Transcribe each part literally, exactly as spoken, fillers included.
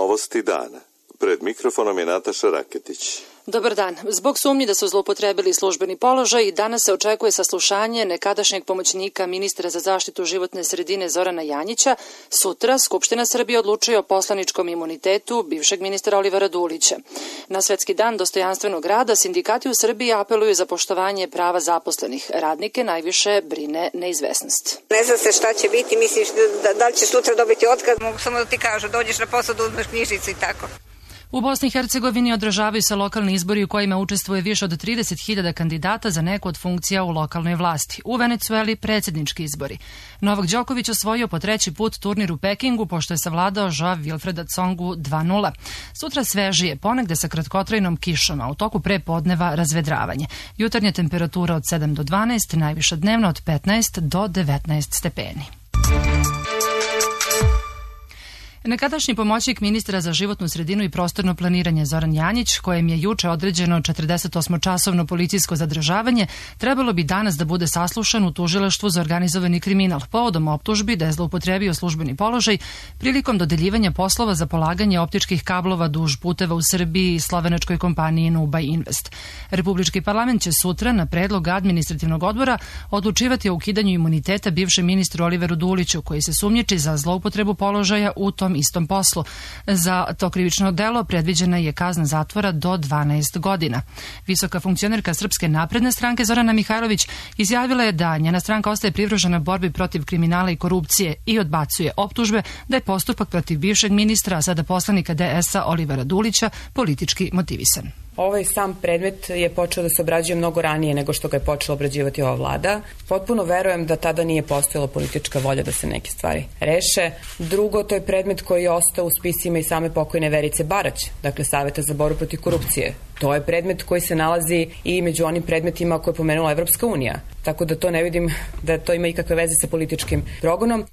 Novosti dana. Pred mikrofonom je Nataša Raketić. Dobar dan. Zbog sumnji da su zloupotrebili službeni položaj, danas se očekuje saslušanje nekadašnjeg pomoćnika ministra za zaštitu životne sredine Zorana Janjića. Sutra Skupština Srbije odlučuje o poslaničkom imunitetu bivšeg ministra Olivera Dulića. Na Svetski dan dostojanstvenog rada sindikati u Srbiji apeluju za poštovanje prava zaposlenih. Radnike najviše brine neizvesnost. Ne zna se šta će biti, misliš da, da li će sutra dobiti otkaz, mogu samo da ti kažu, dođeš na posao da uzmeš knjižicu i tako. U Bosni i Hercegovini održavaju se lokalni izbori u kojima učestvuje više od trideset hiljada kandidata za neku od funkcija u lokalnoj vlasti. U Venecueli predsjednički izbori. Novak Đoković osvojio po treći put turnir u Pekingu pošto je savladao Joao Wilfreda Tsongu dva nula. Sutra svežije, ponegde sa kratkotrajnom kišom, a u toku prepodneva razvedravanje. Jutarnja temperatura od sedam do dvanaest, najviša dnevna od petnaest do devetnaest stepeni. Nekadašnji pomoćnik ministra za životnu sredinu i prostorno planiranje Zoran Janjić, kojem je juče određeno četrdesetosmočasovno policijsko zadržavanje, trebalo bi danas da bude saslušan u tužilaštvu za organizovani kriminal povodom optužbi da je zloupotrebio službeni položaj prilikom dodeljivanja poslova za polaganje optičkih kablova duž puteva u Srbiji i slovenačkoj kompaniji Nuba Invest. Republički parlament će sutra na predlog administrativnog odbora odlučivati o ukidanju imuniteta bivšem ministru Oliveru Duliću, koji se sumnjiči za zloupotrebu položaja u tom istom poslu. Za to krivično delo predviđena je kazna zatvora do dvanaest godina. Visoka funkcionerka Srpske napredne stranke Zorana Mihajlović izjavila je da njena stranka ostaje privržena borbi protiv kriminala i korupcije i odbacuje optužbe da je postupak protiv bivšeg ministra, a sada poslanika D S-a Olivera Dulića, politički motivisan. Ovaj sam predmet je počeo da se obrađuje mnogo ranije nego što ga je počela obrađivati ova vlada. Potpuno verujem da tada nije postojala politička volja da se neke stvari reše. Drugo, to je predmet koji je ostao u spisima i same pokojne Verice Barać, dakle Saveta za borbu protiv korupcije. To je predmet koji se nalazi i među onim predmetima koje je pomenula Evropska unija. Tako da to ne vidim da to ima ikakve veze sa političkim progonom.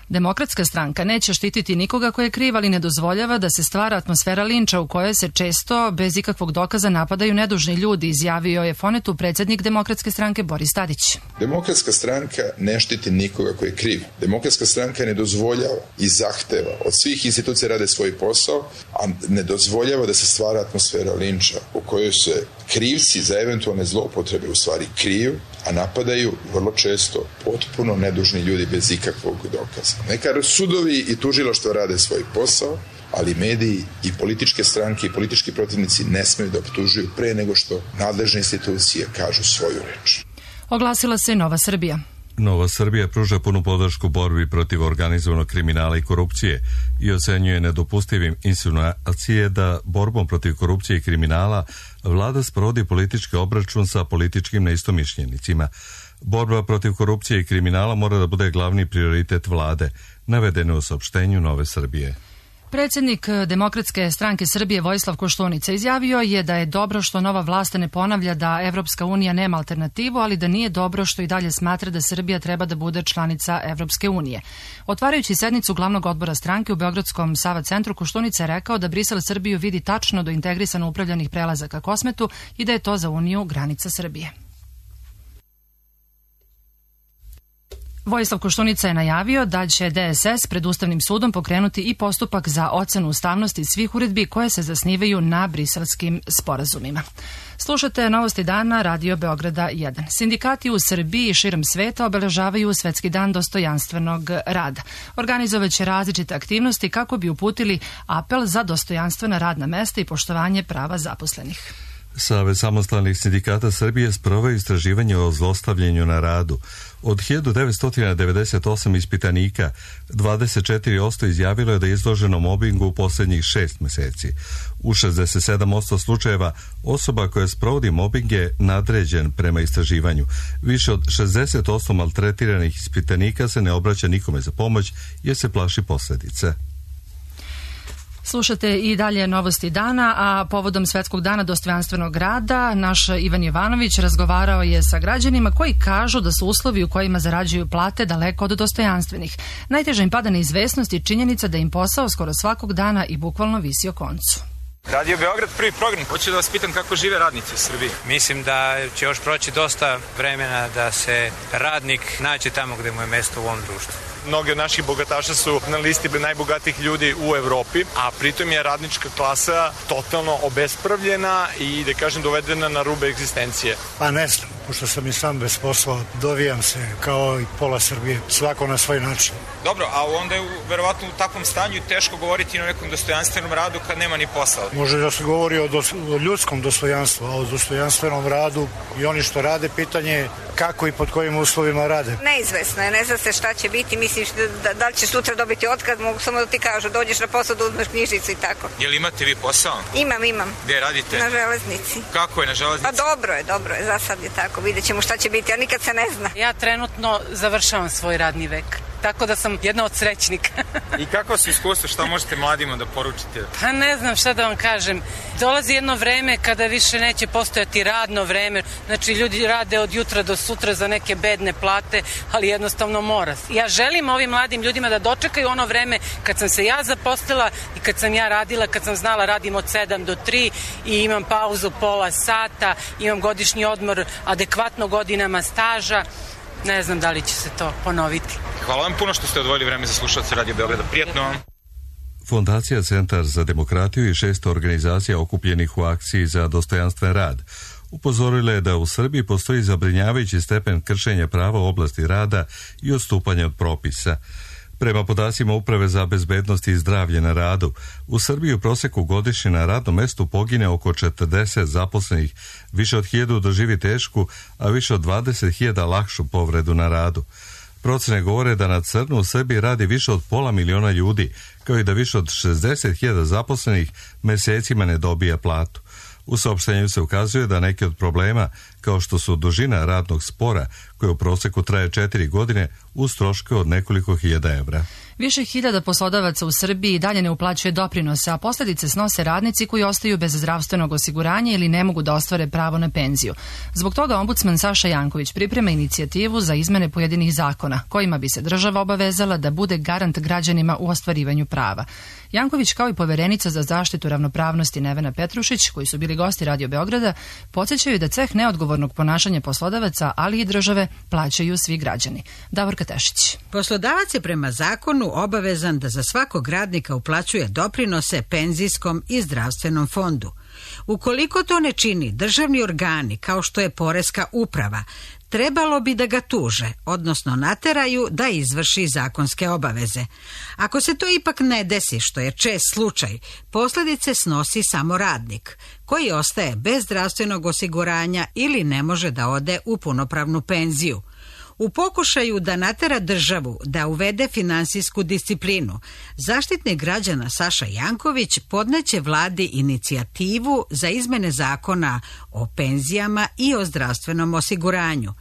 Demokratska stranka neće štititi nikoga ko je kriv, ali ne dozvoljava da se stvara atmosfera linča u kojoj se često bez ikakvog dokaza napadaju nedužni ljudi, izjavio je Fonetu predsjednik Demokratske stranke Boris Tadić. Demokratska stranka ne štiti nikoga ko je kriv. Demokratska stranka ne dozvoljava i zahteva od svih institucija rade svoj posao, a ne dozvoljava da se stvara atmosfera linča u kojoj se krivci za eventualne zloupotrebe u stvari kriju, a napadaju vrlo često potpuno nedužni ljudi bez ikakvog dokaza. Neka sudovi i tužilaštva rade svoj posao, ali mediji i političke stranke i politički protivnici ne smeju da optužuju pre nego što nadležne institucije kažu svoju reč. Oglasila se Nova Srbija. Nova Srbija pruža punu podršku borbi protiv organizovanog kriminala i korupcije i ocenjuje nedopustivim insinuacije da borbom protiv korupcije i kriminala vlada sprovodi politički obračun sa političkim neistomišljenicima. Borba protiv korupcije i kriminala mora da bude glavni prioritet vlade, navedeno u saopštenju Nove Srbije. Predsjednik Demokratske stranke Srbije Vojislav Koštunica izjavio je da je dobro što nova vlast ne ponavlja da Evropska unija nema alternativu, ali da nije dobro što i dalje smatra da Srbija treba da bude članica Evropske unije. Otvarajući sednicu glavnog odbora stranke u Beogradskom Sava centru, Koštunica je rekao da Brisel Srbiju vidi tačno do integrisano upravljanih prelazaka Kosmetu i da je to za Uniju granica Srbije. Vojislav Koštunica je najavio da će D S S pred Ustavnim sudom pokrenuti i postupak za ocenu ustavnosti svih uredbi koje se zasnivaju na briselskim sporazumima. Slušate Novosti dana Radio Beograda jedan. Sindikati u Srbiji i širom sveta obeležavaju Svetski dan dostojanstvenog rada. Organizovaće različite aktivnosti kako bi uputili apel za dostojanstvena radna mesta i poštovanje prava zaposlenih. Savez samostalnih sindikata Srbije sproveo istraživanje o zlostavljanju na radu. Od hiljadu devetsto devedeset osam ispitanika, dvadeset četiri posto izjavilo je da je izloženo mobingu u posljednjih šest meseci. U šezdeset sedam posto slučajeva osoba koja sprovodi mobing je nadređen prema istraživanju. Više od šezdeset posto maltretiranih ispitanika se ne obraća nikome za pomoć jer se plaši posljedice. Slušate i dalje Novosti dana, a povodom Svetskog dana dostojanstvenog rada naš Ivan Jovanović razgovarao je sa građanima koji kažu da su uslovi u kojima zarađuju plate daleko od dostojanstvenih. Najteže im pada neizvesnost i činjenica da im posao skoro svakog dana i bukvalno visi o koncu. Radio Beograd, prvi program. Hoću da vas pitam kako žive radnici u Srbiji. Mislim da će još proći dosta vremena da se radnik nađe tamo gde mu je mesto u ovom društvu. mnogi od naših bogataša su na listi najbogatijih ljudi u Evropi, a pritom je radnička klasa totalno obespravljena i, da kažem, dovedena na rube egzistencije. Pa ne znam, pošto sam i sam bez posla, dovijam se kao i pola Srbije, svako na svoj način. Dobro, a onda je verovatno u takvom stanju teško govoriti o nekom dostojanstvenom radu kad nema ni posla. Može da se govori o, dos, o ljudskom dostojanstvu, a o dostojanstvenom radu i oni što rade, pitanje je kako i pod kojim uslovima rade. Neizvesno je, ne zna se šta će biti, misliš da, da li će sutra dobiti otkaz, mogu samo da ti kažu, dođeš na posao da uzmeš knjižicu i tako. Jel imate vi posao? Imam, imam. Gde radite? Na železnici. Kako je na železnici? Pa dobro je, dobro je, za sad je tako, vidjet ćemo šta će biti, a nikad se ne zna. Ja trenutno završavam svoj radni vek, tako da sam jedna od srećnika. I kako su iskustva, šta možete mladima da poručite? Pa ne znam šta da vam kažem. Dolazi jedno vreme kada više neće postojati radno vreme. Znači ljudi rade od jutra do sutra za neke bedne plate, ali jednostavno mora. Ja želim ovim mladim ljudima da dočekaju ono vreme kad sam se ja zaposlila i kad sam ja radila, kad sam znala radim od sedam do tri i imam pauzu pola sata, imam godišnji odmor adekvatno godinama staža. Ne znam da li će se to ponoviti. Hvala vam puno što ste odvojili vreme za slušalce Radio Beograda. Prijatno vam. Fondacija Centar za demokratiju i šest organizacija okupljenih u akciji za dostojanstven rad upozorile je da u Srbiji postoji zabrinjavajući stepen kršenja prava u oblasti rada i odstupanja od propisa. Prema podacima Uprave za bezbednost i zdravlje na radu, u Srbiji u proseku godišnje na radnom mestu pogine oko četrdeset zaposlenih, više od hiljadu doživi tešku, a više od dvadeset hiljada lakšu povredu na radu. Procene govore da na crno u Srbiji radi više od pola miliona ljudi, kao i da više od šezdeset hiljada zaposlenih mesecima ne dobija platu. U saopštenju se ukazuje da neki od problema, kao što su dužina radnog spora, koje u proseku traje četiri godine, uz troške od nekoliko hiljada evra. Više hiljada poslodavaca u Srbiji dalje ne uplaćuje doprinose, a posljedice snose radnici koji ostaju bez zdravstvenog osiguranja ili ne mogu da ostvare pravo na penziju. Zbog toga ombudsman Saša Janković priprema inicijativu za izmene pojedinih zakona, kojima bi se država obavezala da bude garant građanima u ostvarivanju prava. Janković, kao i poverenica za zaštitu ravnopravnosti Nevena Petrušić, koji su bili gosti Radio Beograda, podsjećaju da ceh neodgovornog ponašanja poslodavaca, ali i države, plaćaju svi građani. Davorka Tešić. Poslodavac je prema zakonu obavezan da za svakog radnika uplaćuje doprinose penzijskom i zdravstvenom fondu. Ukoliko to ne čini, državni organi, kao što je Poreska uprava, trebalo bi da ga tuže, odnosno nateraju da izvrši zakonske obaveze. Ako se to ipak ne desi, što je čest slučaj, posljedice snosi samo radnik, koji ostaje bez zdravstvenog osiguranja ili ne može da ode u punopravnu penziju. U pokušaju da natera državu da uvede finansijsku disciplinu, Zaštitnik građana Saša Janković podneće vladi inicijativu za izmene zakona o penzijama i o zdravstvenom osiguranju.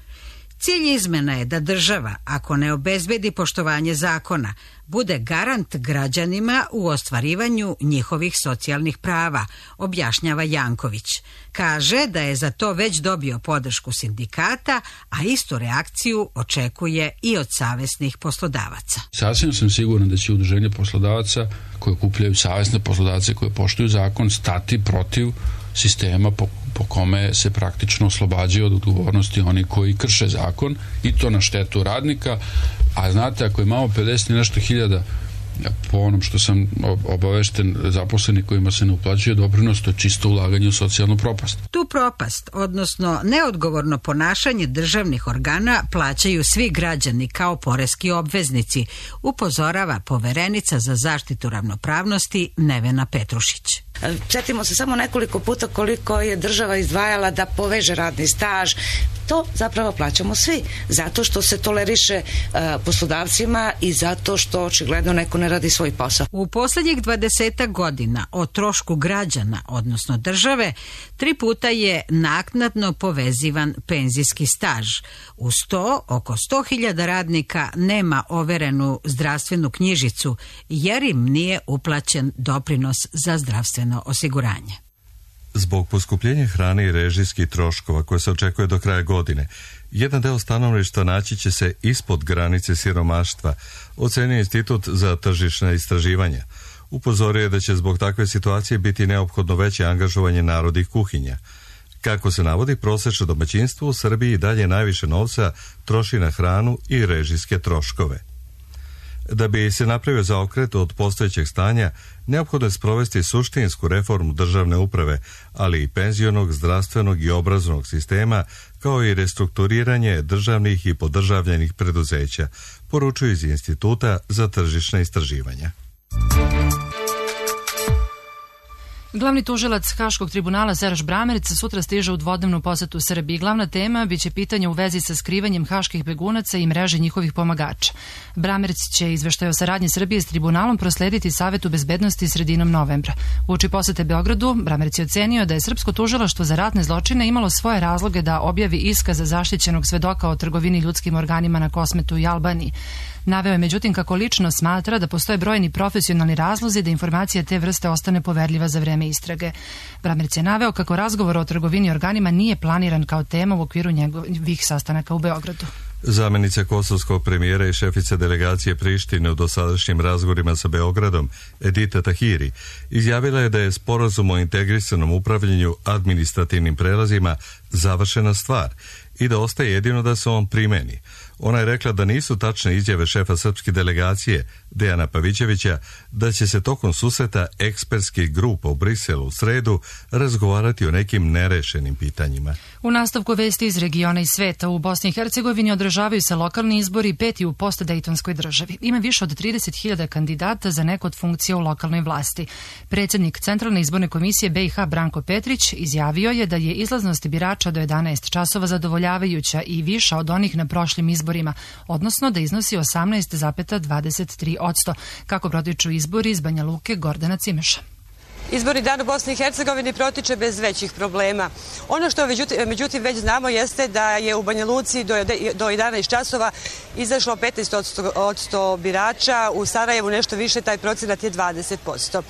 Cilj izmena je da država, ako ne obezbedi poštovanje zakona, bude garant građanima u ostvarivanju njihovih socijalnih prava, objašnjava Janković. Kaže da je za to već dobio podršku sindikata, a istu reakciju očekuje i od savesnih poslodavaca. Sasvim sam siguran da će udruženje poslodavaca koje okupljaju savesne poslodavce koje poštuju zakon stati protiv sistema po, po kome se praktično oslobađaju od odgovornosti oni koji krše zakon i to na štetu radnika, a znate, ako imamo pedeset i nešto hiljada po onom što sam obavešten zaposleni kojima se ne uplaćuje doprinos, to je čisto ulaganje u socijalnu propast. Tu propast, odnosno neodgovorno ponašanje državnih organa, plaćaju svi građani kao poreski obveznici, upozorava poverenica za zaštitu ravnopravnosti Nevena Petrušić. Sjetimo se samo nekoliko puta koliko je država izdvajala da poveže radni staž. To zapravo plaćamo svi, zato što se toleriše uh, poslodavcima i zato što očigledno neko ne radi svoj posao. U posljednjih dvadesetak godina o trošku građana, odnosno države, tri puta je naknadno povezivan penzijski staž. Uz to, oko sto hiljada radnika nema overenu zdravstvenu knjižicu jer im nije uplaćen doprinos za zdravstveno osiguranje. Zbog poskupljenja hrane i režijskih troškova koje se očekuje do kraja godine, jedan deo stanovništva naći će se ispod granice siromaštva, ocenio Institut za tržišna istraživanja. Upozorio je da će zbog takve situacije biti neophodno veće angažovanje narodnih kuhinja. Kako se navodi, prosečno domaćinstvo u Srbiji dalje najviše novca troši na hranu i režijske troškove. Da bi se napravio zaokret od postojećeg stanja, neophodno je sprovesti suštinsku reformu državne uprave, ali i penzionog, zdravstvenog i obrazovnog sistema, kao i restrukturiranje državnih i podržavljenih preduzeća, poručuju iz Instituta za tržišna istraživanja. Glavni tužilac Haškog tribunala Serž Bramerc sutra stiže u dvodnevnu posetu Srbiji. Glavna tema biće pitanja u vezi sa skrivanjem haških begunaca i mreže njihovih pomagača. Bramerc će izveštaj o saradnji Srbije s tribunalom proslediti Savetu bezbednosti sredinom novembra. Uoči posete Beogradu, Bramerc je ocenio da je srpsko tužilaštvo za ratne zločine imalo svoje razloge da objavi iskaz zaštićenog svedoka o trgovini ljudskim organima na Kosmetu i Albaniji. Naveo je međutim kako lično smatra da postoje brojni profesionalni razlozi da informacija te vrste ostane poverljiva za vreme istrage. Bramerc je naveo kako razgovor o trgovini organima nije planiran kao tema u okviru njegovih sastanaka u Beogradu. Zamenica kosovskog premijera i šefica delegacije Prištine u dosadašnjim razgovorima sa Beogradom, Edita Tahiri, izjavila je da je sporazum o integrisanom upravljanju administrativnim prelazima završena stvar i da ostaje jedino da se on primeni. Ona je rekla da nisu tačne izjave šefa srpske delegacije, Dejana Pavićevića, da će se tokom susreta ekspertskih grupa u Briselu u sredu razgovarati o nekim nerešenim pitanjima. U nastavku vesti iz regiona i sveta, u Bosni i Hercegovini održavaju se lokalni izbori, peti u postdejtonskoj državi. Ima više od trideset hiljada kandidata za neku od funkcija u lokalnoj vlasti. Predsjednik Centralne izborne komisije B i H Branko Petrić izjavio je da je izlaznost birača do jedanaest časova zadovoljavajuća i viša od onih na prošlim izborima, odnosno da iznosi osamnaest zarez dvadeset tri posto, kako protiču izbori iz Banja Luke. Gordana Cimeša. Izborni dan u Bosni i Hercegovini protiče bez većih problema. Ono što međutim već znamo jeste da je u Banja Luci do jedanaest časova izašlo petnaest posto birača, u Sarajevu nešto više, taj procenat je dvadeset posto.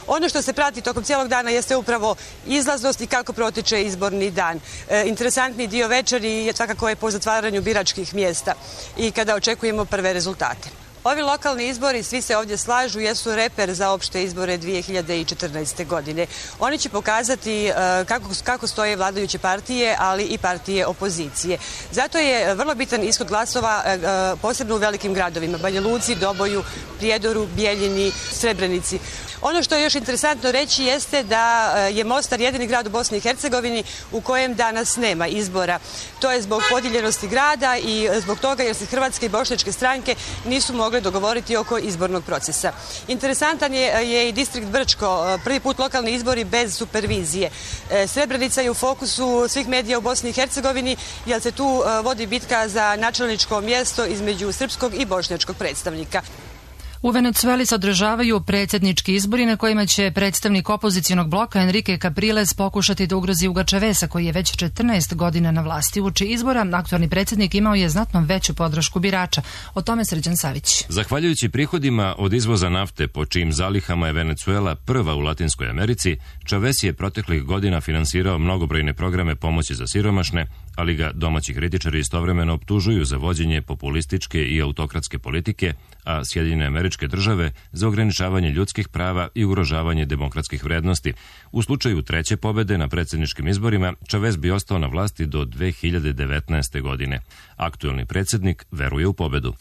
Ono što se prati tokom cijelog dana jeste upravo izlaznost i kako protiče izborni dan. E, interesantni dio večeri je svakako je po zatvaranju biračkih mjesta i kada očekujemo prve rezultate. Ovi lokalni izbori, svi se ovdje slažu, jesu reper za opšte izbore dvije hiljade četrnaeste. godine. Oni će pokazati kako, kako stoje vladajuće partije, ali i partije opozicije. Zato je vrlo bitan ishod glasova, posebno u velikim gradovima, Banja Luci, Doboju, Prijedoru, Bijeljini, Srebrenici. Ono što je još interesantno reći jeste da je Mostar jedini grad u Bosni i Hercegovini u kojem danas nema izbora. To je zbog podijeljenosti grada i zbog toga jer se hrvatske i bošnjačke stranke nisu mogle dogovoriti oko izbornog procesa. Interesantan je, je i distrikt Brčko, prvi put lokalni izbori bez supervizije. Srebrenica je u fokusu svih medija u Bosni i Hercegovini jer se tu vodi bitka za načelničko mjesto između srpskog i bošnjačkog predstavnika. U Venecueli se održavaju predsjednički izbori na kojima će predstavnik opozicijonog bloka Enrique Capriles pokušati da ugrozi Huga Chaveza, koji je već četrnaest godina na vlasti. Uoči izbora aktualni predsjednik imao je znatno veću podršku birača. O tome Srđan Savić. Zahvaljujući prihodima od izvoza nafte, po čijim zalihama je Venecuela prva u Latinskoj Americi, Chavez je proteklih godina finansirao mnogobrojne programe pomoći za siromašne, ali ga domaći kritičari istovremeno optužuju za vođenje populističke i autokratske politike, a Sjedinjene Američke Države za ograničavanje ljudskih prava i ugrožavanje demokratskih vrednosti. U slučaju treće pobede na predsjedničkim izborima, Chavez bi ostao na vlasti do dve hiljade devetnaeste. godine. Aktuelni predsjednik veruje u pobedu.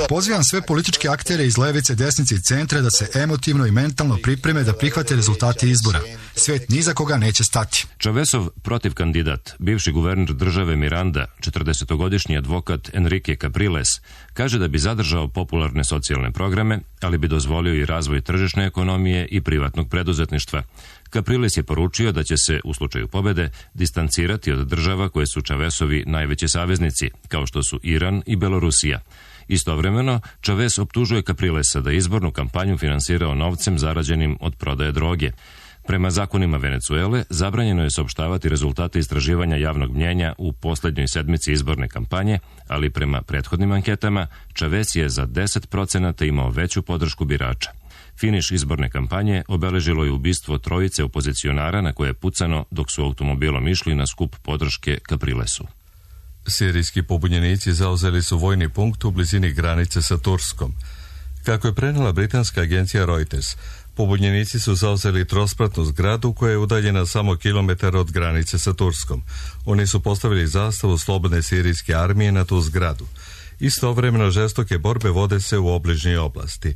Pozivam sve političke aktere iz levice, desnice i centra da se emotivno i mentalno pripreme da prihvate rezultate izbora. Svet ni za koga neće stati. Chavezov protiv kandidat, bivši guverner države Miranda, četrdesetogodišnji advokat Enrique Capriles, kaže da bi zadržao popularne socijalne programe, ali bi dozvolio i razvoj tržišne ekonomije i privatnog preduzetništva. Capriles je poručio da će se, u slučaju pobede, distancirati od država koje su Chavezovi najveći saveznici, kao što su Iran i Belorusija. Istovremeno, Chavez optužuje Caprilesa da izbornu kampanju finansirao novcem zarađenim od prodaje droge. Prema zakonima Venecuele, zabranjeno je saopštavati rezultate istraživanja javnog mnjenja u posljednjoj sedmici izborne kampanje, ali prema prethodnim anketama, Chavez je za deset procenata imao veću podršku birača. Finiš izborne kampanje obeležilo je ubistvo trojice opozicionara na koje je pucano dok su automobilom išli na skup podrške Caprilesu. Sirijski pobunjenici zauzeli su vojni punkt u blizini granice sa Turskom. Kako je prenela britanska agencija Reuters, pobunjenici su zauzeli trospratnu zgradu koja je udaljena samo kilometar od granice sa Turskom. Oni su postavili zastavu slobodne sirijske armije na tu zgradu. Istovremeno žestoke borbe vode se u obližnjoj oblasti.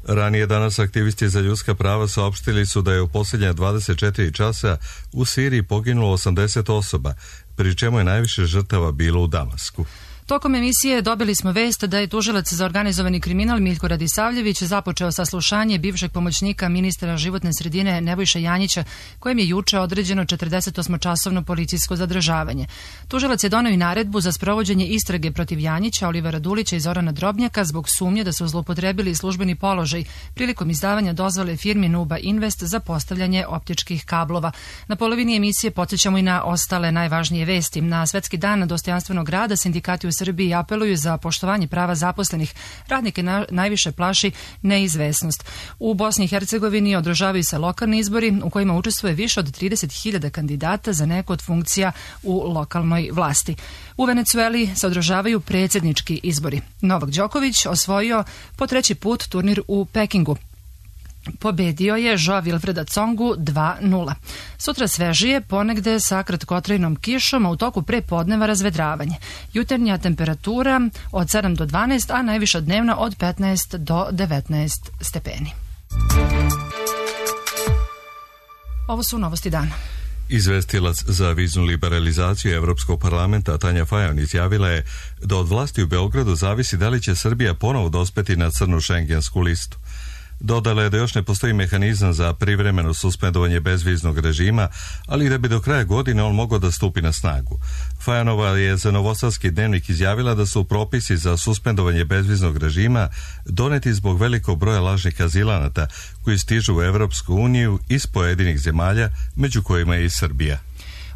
Ranije danas aktivisti za ljudska prava saopštili su da je u posljednja dvadeset četiri časa u Siriji poginulo osamdeset osoba, pri čemu je najviše žrtava bilo u Damasku. Tokom emisije dobili smo vest da je tužilac za organizovani kriminal Miljko Radisavljević započeo saslušanje bivšeg pomoćnika ministra životne sredine Nebojše Janjića, kojem je juče određeno četrdesetosmočasovno policijsko zadržavanje. Tužilac je doneo i naredbu za sprovođenje istrage protiv Janjića, Olivera Dulića i Zorana Drobnjaka zbog sumnje da su zloupotrebili službeni položaj prilikom izdavanja dozvole firmi Nuba Invest za postavljanje optičkih kablova. Na polovini emisije podsjećamo i na ostale najvažnije vesti. Na Svetski dan dostojanstvenog rada sindikati u Srbiji apeluju za poštovanje prava zaposlenih. Radnike na, najviše plaši neizvesnost. U Bosni i Hercegovini održavaju se lokalni izbori u kojima učestvuje više od trideset hiljada kandidata za neku od funkcija u lokalnoj vlasti. U Venecueli se održavaju predsjednički izbori. Novak Đoković osvojio po treći put turnir u Pekingu. Pobedio je Joa Wilfreda Tsongu dva nula. Sutra svežije, ponegde sa kratkotrajnom kišom, a u toku pre podneva razvedravanje. Jutarnja temperatura od sedam do dvanaest, a najviša dnevna od petnaest do devetnaest stepeni. Ovo su novosti dana. Izvestilac za viznu liberalizaciju Evropskog parlamenta Tanja Fajon izjavila je da od vlasti u Beogradu zavisi da li će Srbija ponovo dospeti na crnu šengensku listu. Dodala je da još ne postoji mehanizam za privremeno suspendovanje bezviznog režima, ali da bi do kraja godine on mogao da stupi na snagu. Fajonova je za Novosadski dnevnik izjavila da su propisi za suspendovanje bezviznog režima doneti zbog velikog broja lažnih azilanata koji stižu u Evropsku uniju iz pojedinih zemalja, među kojima je i Srbija.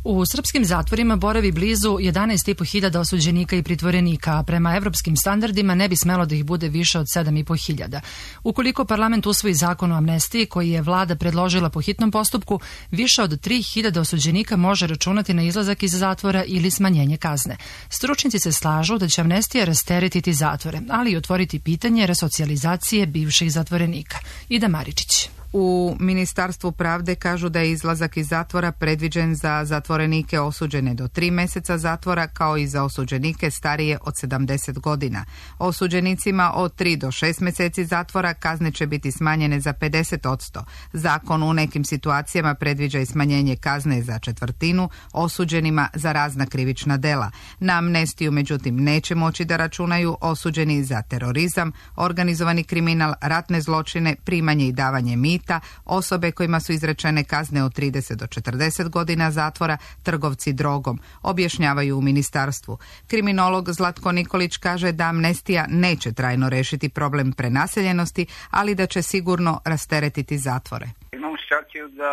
U srpskim zatvorima boravi blizu jedanaest i po hiljada osuđenika i pritvorenika, a prema evropskim standardima ne bi smelo da ih bude više od sedam i po hiljada. Ukoliko parlament usvoji zakon o amnestiji koji je vlada predložila po hitnom postupku, više od tri hiljade osuđenika može računati na izlazak iz zatvora ili smanjenje kazne. Stručnici se slažu da će amnestija rasteretiti zatvore, ali i otvoriti pitanje resocijalizacije bivših zatvorenika. Ida Maričić. U Ministarstvu pravde kažu da je izlazak iz zatvora predviđen za zatvorenike osuđene do tri meseca zatvora, kao i za osuđenike starije od sedamdeset godina. Osuđenicima od tri do šest meseci zatvora kazne će biti smanjene za pedeset odsto. Zakon u nekim situacijama predviđa i smanjenje kazne za četvrtinu osuđenima za razna krivična dela. Na amnestiju međutim neće moći da računaju osuđeni za terorizam, organizovani kriminal, ratne zločine, primanje i davanje mita, osobe kojima su izrečene kazne od trideset do četrdeset godina zatvora, trgovci drogom, objašnjavaju u ministarstvu. Kriminolog Zlatko Nikolić kaže da amnestija neće trajno rešiti problem prenaseljenosti, ali da će sigurno rasteretiti zatvore. Imamo situaciju da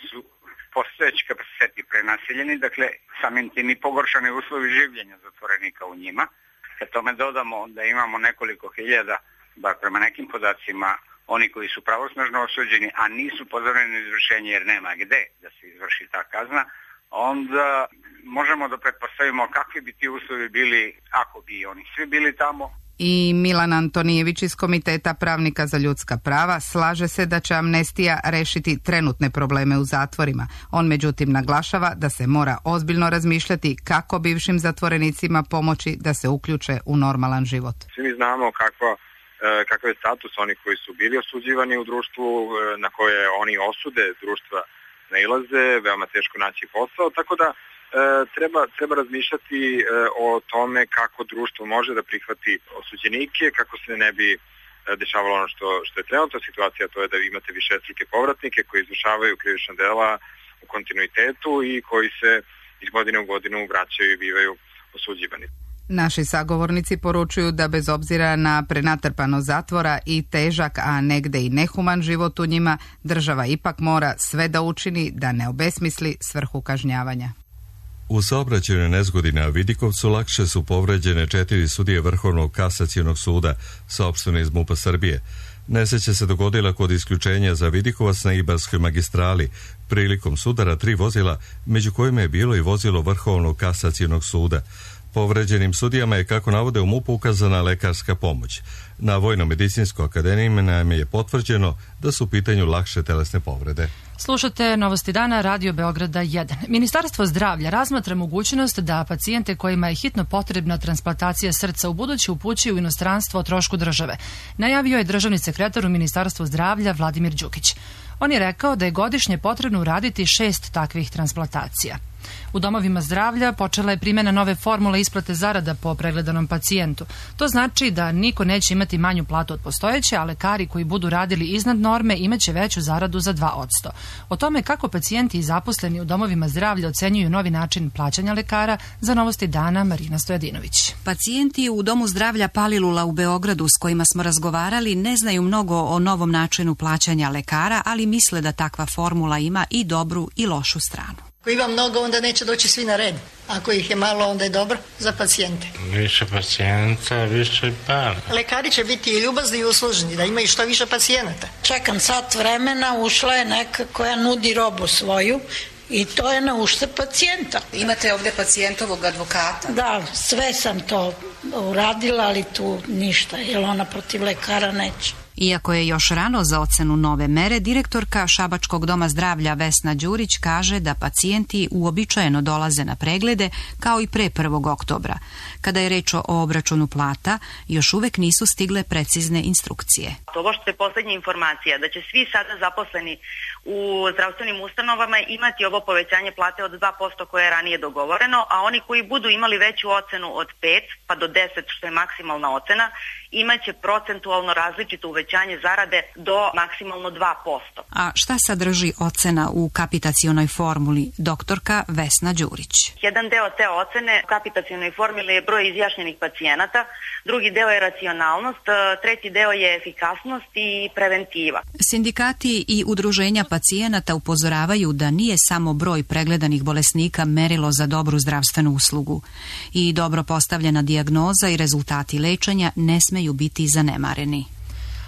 su postojeći kapaciteti prenaseljeni, dakle samim tim i pogoršani uslovi življenja zatvorenika u njima. Kad tome dodamo da imamo nekoliko hiljada, bar prema nekim podacima, oni koji su pravosnažno osuđeni, a nisu pozoreni na izvršenje jer nema gde da se izvrši ta kazna, onda možemo da pretpostavimo kakvi bi ti uslovi bili ako bi oni svi bili tamo. I Milan Antonijević iz Komiteta pravnika za ljudska prava slaže se da će amnestija rešiti trenutne probleme u zatvorima. On međutim naglašava da se mora ozbiljno razmišljati kako bivšim zatvorenicima pomoći da se uključe u normalan život. Svi mi znamo kakva kakav je status onih koji su bili osuđivani u društvu, na koje oni osude društva nailaze, veoma teško naći posao, tako da e, treba, treba razmišljati e, o tome kako društvo može da prihvati osuđenike, kako se ne bi dešavalo ono što, što je trenutna situacija, to je da vi imate višestruke povratnike koji izvršavaju krivična dela u kontinuitetu i koji se iz godine u godinu vraćaju i bivaju osuđivani. Naši sagovornici poručuju da bez obzira na prenatrpano zatvora i težak, a negde i nehuman život u njima, država ipak mora sve da učini da ne obesmisli svrhu kažnjavanja. U saobraćajnoj nezgodi na Vidikovcu lakše su povređene četiri sudije Vrhovnog kasacionog suda, saopšteno iz MUP-a Srbije. Nesreća se dogodila kod isključenja za Vidikovac na Ibarskoj magistrali, prilikom sudara tri vozila, među kojima je bilo i vozilo Vrhovnog kasacionog suda. Povređenim sudijama je, kako navode u MUP-u, ukazana lekarska pomoć. Na Vojno-medicinskoj akademiji nam je potvrđeno da su u pitanju lakše telesne povrede. Slušate Novosti dana, Radio Beograda jedan. Ministarstvo zdravlja razmatra mogućnost da pacijente kojima je hitno potrebna transplantacija srca u buduće upućuju u inostranstvo o trošku države. Najavio je državni sekretar u Ministarstvu zdravlja Vladimir Đukić. On je rekao da je godišnje potrebno uraditi šest takvih transplantacija. U domovima zdravlja počela je primjena nove formule isplate zarada po pregledanom pacijentu. To znači da niko neće imati manju platu od postojeće, a lekari koji budu radili iznad norme imaće veću zaradu za dva posto. O tome kako pacijenti i zaposleni u domovima zdravlja ocenjuju novi način plaćanja lekara, za Novosti dana Marina Stojadinović. Pacijenti u Domu zdravlja Palilula u Beogradu s kojima smo razgovarali ne znaju mnogo o novom načinu plaćanja lekara, ali misle da takva formula ima i dobru i lošu stranu. Ako ima mnogo, onda neće doći svi na red. Ako ih je malo, onda je dobro za pacijente. Više pacijenta, više para. Lekari će biti i ljubazni i uslužni, da imaju što više pacijenata. Čekam sat vremena, ušla je neka koja nudi robu svoju i to je na uštrb pacijenta. Imate ovdje pacijentovog advokata? Da, sve sam to uradila, ali tu ništa, jer ona protiv lekara neće. Iako je još rano za ocenu nove mere, direktorka Šabačkog doma zdravlja Vesna Đurić kaže da pacijenti uobičajeno dolaze na preglede kao i pre prvog oktobra. Kada je reč o obračunu plata, još uvek nisu stigle precizne instrukcije. Ovo što je poslednja informacija, da će svi sada zaposleni u zdravstvenim ustanovama imati ovo povećanje plate od dva posto koje je ranije dogovoreno, a oni koji budu imali veću ocenu od pet pa do deset, što je maksimalna ocena, imaće procentualno različito uvećanje zarade do maksimalno dva posto. A šta sadrži ocena u kapitacionoj formuli, doktorka Vesna Đurić? Jedan deo te ocene u kapitacionoj formuli je broj izjašnjenih pacijenata, drugi deo je racionalnost, treći deo je efikasnost i preventiva. Sindikati i udruženja pacijenata upozoravaju da nije samo broj pregledanih bolesnika merilo za dobru zdravstvenu uslugu. I dobro postavljena dijagnoza i rezultati lečenja ne smeju biti zanemareni.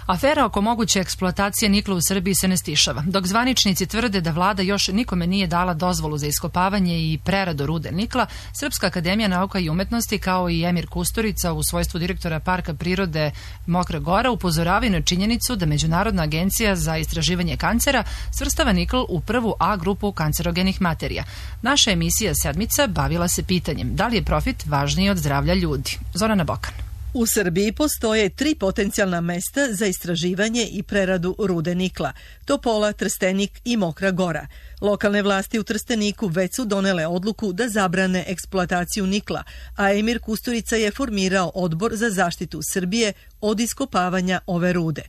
Afera oko moguće eksploatacije nikla u Srbiji se ne stišava. Dok zvaničnici tvrde da vlada još nikome nije dala dozvolu za iskopavanje i preradu rude nikla, Srpska akademija nauka i umetnosti kao i Emir Kusturica u svojstvu direktora Parka prirode Mokra Gora upozoravaju na činjenicu da Međunarodna agencija za istraživanje kancera svrstava nikl u prvu A grupu kancerogenih materija. Naša emisija Sedmica bavila se pitanjem da li je profit važniji od zdravlja ljudi. Zorana Bokan. U Srbiji postoje tri potencijalna mesta za istraživanje i preradu rude nikla: Topola, Trstenik i Mokra Gora. Lokalne vlasti u Trsteniku već su donele odluku da zabrane eksploataciju nikla, a Emir Kusturica je formirao odbor za zaštitu Srbije od iskopavanja ove rude.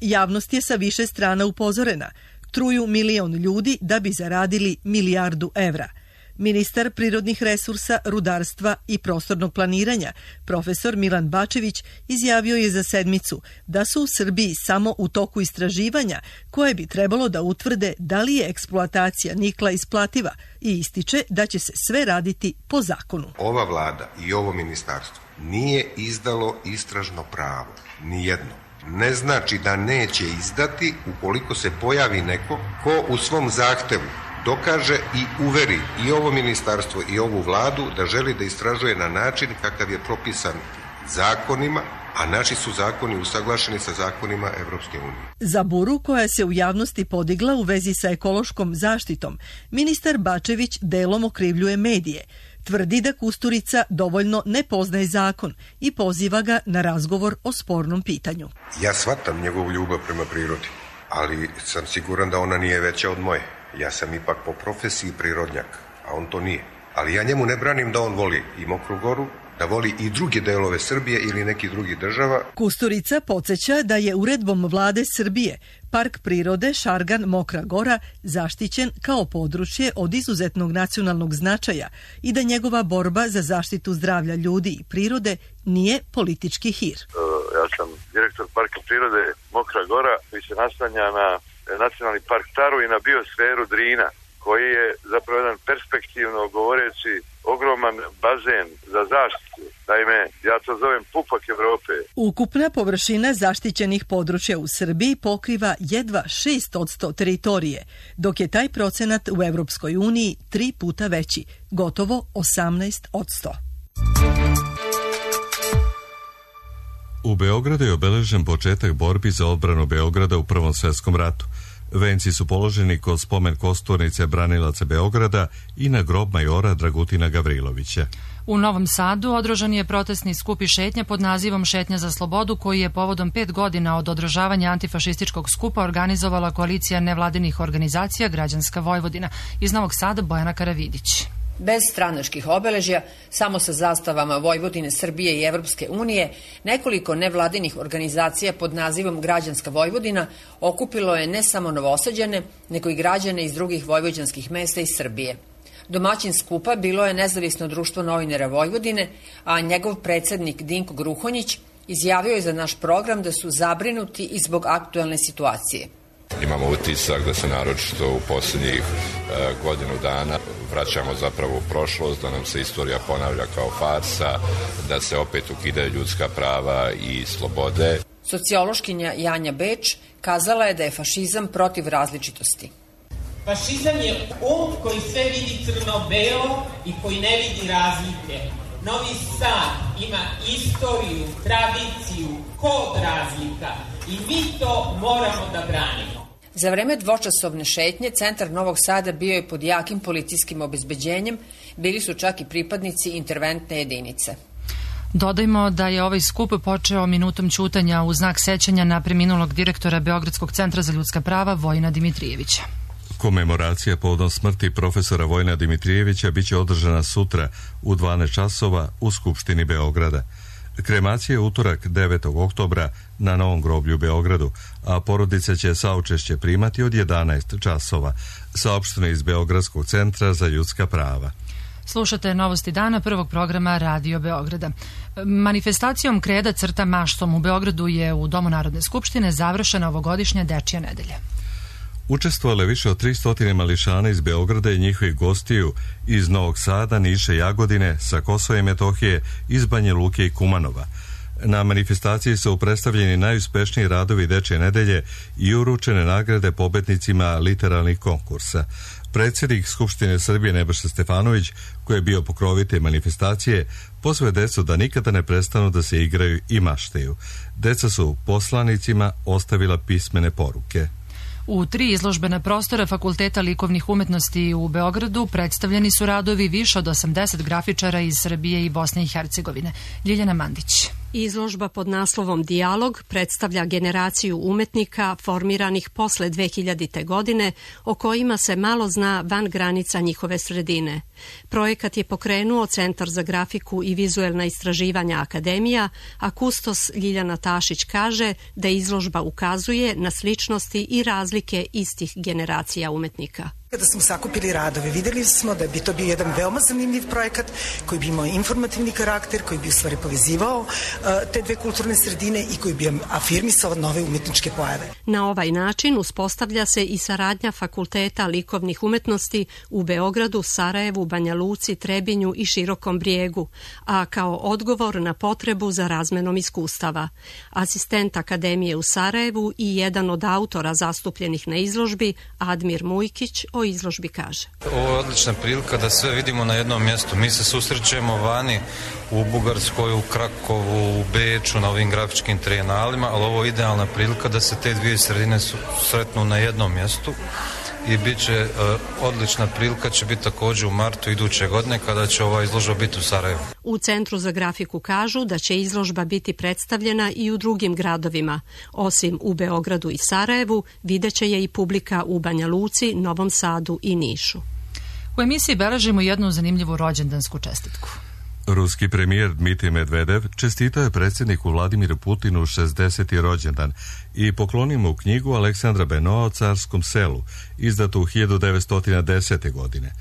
Javnost je sa više strana upozorena. Truju milion ljudi da bi zaradili milijardu evra. Ministar prirodnih resursa, rudarstva i prostornog planiranja, profesor Milan Bačević, izjavio je za Sedmicu da su u Srbiji samo u toku istraživanja koje bi trebalo da utvrde da li je eksploatacija nikla isplativa i ističe da će se sve raditi po zakonu. Ova vlada i ovo ministarstvo nije izdalo istražno pravo, nijedno. Ne znači da neće izdati ukoliko se pojavi neko ko u svom zahtevu dokaže i uveri i ovo ministarstvo i ovu vladu da želi da istražuje na način kakav je propisan zakonima, a naši su zakoni usaglašeni sa zakonima Evropske unije. Za buru koja se u javnosti podigla u vezi sa ekološkom zaštitom, ministar Bačević delom okrivljuje medije. Tvrdi da Kusturica dovoljno ne poznaje zakon i poziva ga na razgovor o spornom pitanju. Ja shvatam njegovu ljubav prema prirodi, ali sam siguran da ona nije veća od moje. Ja sam ipak po profesiji prirodnjak, a on to nije. Ali ja njemu ne branim da on voli i Mokru Goru, da voli i druge delove Srbije ili neki drugi država. Kusturica podsjeća da je uredbom vlade Srbije Park prirode Šargan Mokra Gora zaštićen kao područje od izuzetnog nacionalnog značaja i da njegova borba za zaštitu zdravlja ljudi i prirode nije politički hir. Ja sam direktor Parka prirode Mokra Gora koji se naslanja na nacionalni park Taru i na biosferu Drina, koji je zapravo jedan perspektivno govoreći ogroman bazen za zaštitu. Naime, ja to zovem pupak Evrope. Ukupna površina zaštićenih područja u Srbiji pokriva jedva šest posto teritorije, dok je taj procenat u Evropskoj uniji tri puta veći, gotovo osamnaest posto. U Beogradu je obeležen početak borbi za odbranu Beograda u Prvom svjetskom ratu. Venci su položeni kod spomen kosturnice branilaca Beograda i na grob majora Dragutina Gavrilovića. U Novom Sadu održan je protestni skup i šetnja pod nazivom Šetnja za slobodu, koji je povodom pet godina od održavanja antifašističkog skupa organizovala koalicija nevladinih organizacija Građanska Vojvodina. Iz Novog Sada Bojana Karavidić. Bez stranačkih obeležja, samo sa zastavama Vojvodine, Srbije i Evropske unije, nekoliko nevladinih organizacija pod nazivom Građanska Vojvodina okupilo je ne samo Novosađane, nego i građane iz drugih vojvođanskih mesta iz Srbije. Domaćin skupa bilo je Nezavisno društvo novinara Vojvodine, a njegov predsednik Dinko Gruhonjić izjavio je za naš program da su zabrinuti i zbog aktuelne situacije. Imamo utisak da se naročito u posljednjih e, godinu dana vraćamo zapravo u prošlost, da nam se istorija ponavlja kao farsa, da se opet ukidaju ljudska prava i slobode. Sociološkinja Janja Beč kazala je da je fašizam protiv različitosti. Fašizam je um koji sve vidi crno-belo i koji ne vidi razlike. Novi Sad ima istoriju, tradiciju, kod razlika i mi to moramo da branimo. Za vreme dvočasovne šetnje centar Novog Sada bio je pod jakim policijskim obezbeđenjem, bili su čak i pripadnici interventne jedinice. Dodajmo da je ovaj skup počeo minutom ćutanja u znak sećanja na preminulog direktora Beogradskog centra za ljudska prava Vojina Dimitrijevića. Komemoracija povodom smrti profesora Vojina Dimitrijevića biće održana sutra u dvanaest časova u Skupštini Beograda. Kremacija je utorak devetog oktobra na Novom groblju u Beogradu, a porodica će saučešće primati od jedanaest časova, saopšteno iz Beogradskog centra za ljudska prava. Slušate novosti dana prvog programa Radio Beograda. Manifestacijom Kreda crta maštom u Beogradu je u Domu Narodne skupštine završena ovogodišnja Dečija nedelja. Učestvovalo je više od tristo mališana iz Beograda i njihovih gostiju iz Novog Sada, Niša, Jagodine, sa Kosova i Metohije, iz Banja Luke i Kumanova. Na manifestaciji su predstavljeni najuspešniji radovi Dečije nedelje i uručene nagrade pobednicima literarnih konkursa. Predsjednik Skupštine Srbije Nebojša Stefanović, koji je bio pokrovitelj manifestacije, pozvao decu da nikada ne prestanu da se igraju i maštaju. Deca su poslanicima ostavila pismene poruke. U tri izložbena prostora Fakulteta likovnih umetnosti u Beogradu predstavljeni su radovi više od osamdeset grafičara iz Srbije i Bosne i Hercegovine. Ljiljana Mandić. Izložba pod naslovom Dijalog predstavlja generaciju umetnika formiranih posle dve hiljadite. godine, o kojima se malo zna van granica njihove sredine. Projekat je pokrenuo Centar za grafiku i vizuelna istraživanja Akademija, a kustos Ljiljana Tašić kaže da izložba ukazuje na sličnosti i razlike istih generacija umetnika. Kada smo sakupili radove, videli smo da bi to bio jedan veoma zanimljiv projekat koji bi imao informativni karakter, koji bi u stvari povezivao uh, te dve kulturne sredine i koji bi afirmisao nove umetničke pojave. Na ovaj način uspostavlja se i saradnja Fakulteta likovnih umetnosti u Beogradu, Sarajevu, Banja Luci, Trebinju i Širokom Brijegu, a kao odgovor na potrebu za razmenom iskustava. Asistent Akademije u Sarajevu i jedan od autora zastupljenih na izložbi, Admir Mujkić, o izložbi kaže. Ovo je odlična prilika da sve vidimo na jednom mjestu. Mi se susrećemo vani u Bugarskoj, u Krakovu, u Beču, na ovim grafičkim trijenalima, ali ovo je idealna prilika da se te dvije sredine sretnu na jednom mjestu i bit će uh, odlična prilika, će biti također u martu iduće godine kada će ova izložba biti u Sarajevu. U Centru za grafiku kažu da će izložba biti predstavljena i u drugim gradovima. Osim u Beogradu i Sarajevu, videće je i publika u Banja Luci, Novom Sadu i Nišu. U emisiji beležimo jednu zanimljivu rođendansku čestitku. Ruski premijer Dmitrij Medvedev čestitao je predsjedniku Vladimiru Putinu šezdeseti rođendan i poklonio mu knjigu Aleksandra Benoa o Carskom selu, izdatu u hiljadu devetsto desete. godine.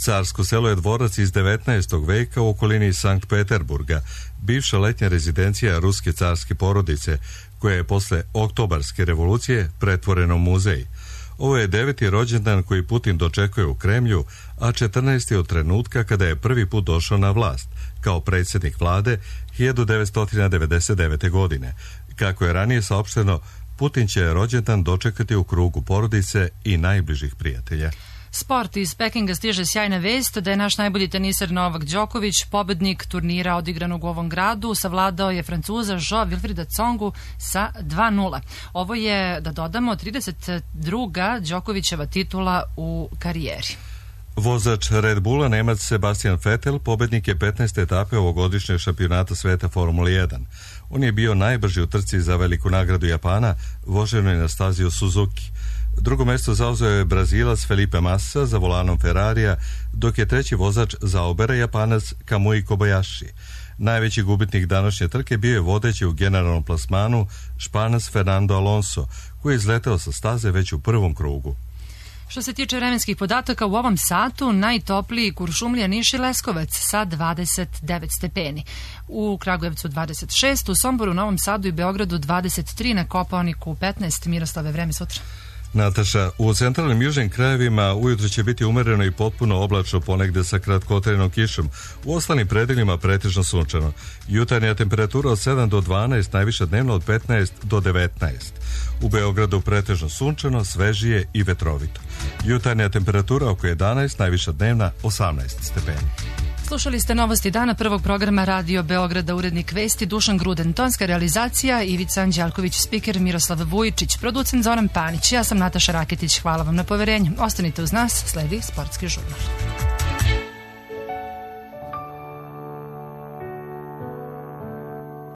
Carsko selo je dvorac iz devetnaestog veka u okolini Sankt Peterburga, bivša letnja rezidencija ruske carske porodice, koja je posle Oktobarske revolucije pretvorena u muzej. Ovo je deveti rođendan koji Putin dočekuje u Kremlju, a četrnaesti od trenutka kada je prvi put došao na vlast, kao predsjednik vlade hiljadu devetsto devedeset devete. godine. Kako je ranije saopšteno, Putin će rođendan dočekati u krugu porodice i najbližih prijatelja. Sport iz Pekinga stiže sjajna vest da je naš najbolji teniser Novak Đoković, pobednik turnira odigranog u ovom gradu, savladao je Francuza Jean-Wilfrida Tsongu sa dva nula. Ovo je, da dodamo, trideset druga Đokovićeva titula u karijeri. Vozač Red Bulla, Nemac Sebastian Vettel, pobednik je petnaeste etape ovogodišnjeg šampionata sveta Formule jedan. On je bio najbrži u trci za veliku nagradu Japana, voženoj na stazi u Suzuki. Drugo mesto zauzeo je Brazilac Felipe Massa za volanom Ferrarija, dok je treći vozač Zaubera Japanac Kamui Kobayashi. Najveći gubitnik današnje trke bio je vodeći u generalnom plasmanu Španac Fernando Alonso, koji je izleteo sa staze već u prvom krugu. Što se tiče vremenskih podataka, u ovom satu najtopliji Kuršumlija, Niš i Leskovac sa dvadeset devet stepeni. U Kragujevcu dvadeset šest, u Somboru, Novom Sadu i Beogradu dvadeset tri, na Kopaoniku petnaest. Miroslave, vreme sutra. Nataša, u centralnim južnim krajevima ujutro će biti umereno i potpuno oblačno, ponegde sa kratkotrajnom kišom. U ostalim predelima pretežno sunčano. Jutarnja temperatura od sedam do dvanaest, najviša dnevno od petnaest do devetnaest. U Beogradu pretežno sunčano, svežije i vetrovito. Jutarnja temperatura oko jedanaest, najviša dnevna osamnaest stepeni. Slušali ste novosti dana prvog programa Radio Beograda, urednik vesti Dušan Gruden, tonska realizacija Ivica Anđelković, spiker Miroslav Vujičić, producent Zoran Panić. Ja sam Nataša Raketić, hvala vam na poverenju. Ostanite uz nas, sledi Sportski žurnal.